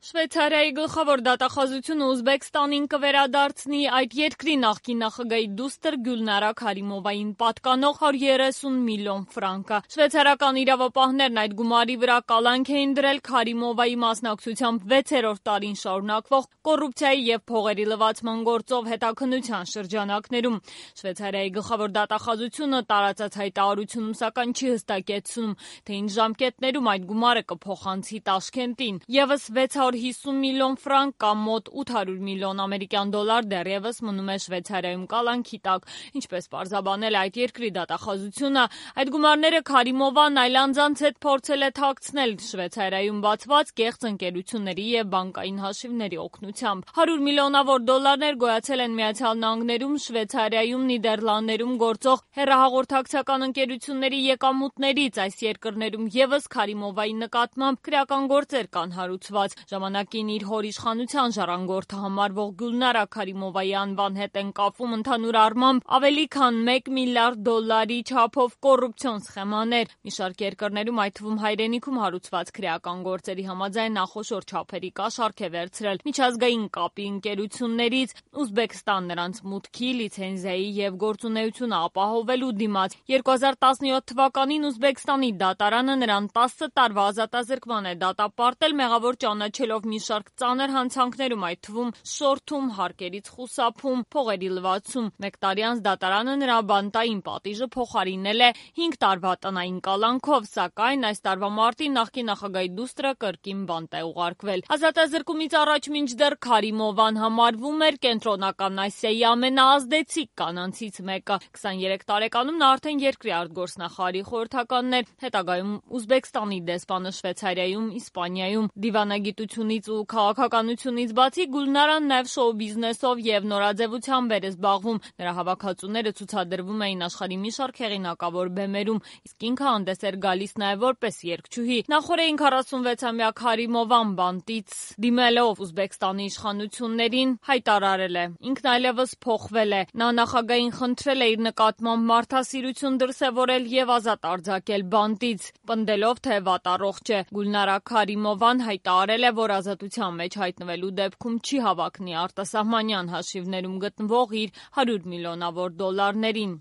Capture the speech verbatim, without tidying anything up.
Շվեյցարիայի գլխավոր դատախազությունը Ուզբեկստանին կվերադարձնի այդ երկրի նախկին նախագահի դուստր Գյուլնարա Քարիմովային պատկանող հարյուր երեսուն միլիոն ֆրանկը։ Շվեյցարական իրավապահներն այդ գումարի վրա կալանք էին դրել Քարիմովայի մասնակցությամբ վեցերորդ տարին շարունակվող կոռուպցիայի և փողերի լվացման գործով հետաքննության շրջանակներում։ Շվեյցարիայի գլխավոր դատախազությունը տարածած հայտարարությունում սակայն չի հստակեցնում, թե ինչ ժամկետներում այդ գումարը կփոխանցի Տաշքենտին։ Եվս վեց հարյուր հիսուն միլիոն ֆրանկ կամ մոտ ութ հարյուր միլիոն ամերիկյան դոլար դեռևս մնում է Շվեյցարիայում կալանքի տակ։ Ինչպես պարզաբանել այդ երկրի դատախազությունը, այդ գումարները Քարիմովան այլ անձանց հետ փորձել է թաքցնել Շվեյցարիայում բացված կեղծ ընկերությունների և բանկային հաշիվների օգնությամբ։ հարյուր միլիոնավոր դոլարներ գոյացել են Միացյալ Նահանգներում, Շվեյցարիայում, Նիդերլանդներում գործող հեռահաղորդակցական ընկերությունների եկամուտներից։ Այս երկրներում ևս Քարիմովայի նկատմամբ քրեական գործեր կան հարուցված։ Ժամանակին իր հոր իշխանության ժառանգորդը համարվող Գյուլնարա Քարիմովայի անվան հետ են կապվում ընդհանուր առմամբ ավելի քան մեկ միլիարդ դոլարի չափով կոռուպցիոն սխեմաներ։ Մի շարք երկրներում, այդ թվում հայրենիքում հարուցված քրեական գործերի համաձայն նա խոշոր չափերի կաշառք է վերցրել միջազգային կապի ընկերություններից Ուզբեկստան նրանց մուտքի, լիցենզիայի և գործունեությունը ապահովելու դիմաց։ երկու հազար տասնյոթ թվականին Ուզբեկստանի դատարանը նրան տասը տարվա ազատազրկման է դատապարտել մեղավոր ճանաչելով մի շարք ծանր հանցանքներում, այդ թվում շորթում, հարկերից խուսափում, փողերի լվացում։ Մեկ տարի անց դատարանը նրա բանտային պատիժը փոխարինել է հինգ տարվա տնային կալանքով, սակայն այս տարվա մարտին նախկին նախագահի դուստրը կրկին բանտ է ուղարկվել։ Ազատազրկումից առաջ մինչդեռ Քարիմովան համարվում էր Կենտրոնական Ասիայի ամենաազդեցիկ կանանցից մեկը։ քսաներեք տարեկանում նա արդեն երկրի արտգործնախարարի խորհրդականն էր, հետագայում Ուզբեկստանի դեսպանը Շվեյցարիայում, Իսպանիայում։ Դիվանագիտությունից ու քաղաքականությունից բացի Գյուլնարան նաև շոու բիզնեսով և նորաձևությամբ էր զբաղվում։ Նրա հավաքածուները ցուցադրվում էին աշխարհի մի շարք հեղինակավոր բեմերում, իսկ ինքը հանդես էր գալիս նաև որպես երգչուհի։ Նախօրեին քառասունվեցամյա Քարիմովան բանտից դիմելով Ուզբեկստանի իշխանություններին հայտարարել է. ինքն այլևս փոխվել է։ Նա նախագահին խնդրել է իր նկատմամբ մարդասիրություն դրսևորել և ազատ արձակել բանտից, պնդելով, թե վատառողջ է։ Գյուլնարա Քարիմովան հայտարարել է, որ ազատության մեջ հայտնվելու դեպքում չի հավակնի արտասահմանյան հաշիվներում գտնվող իր հարյուր միլիոնավոր դոլարներին։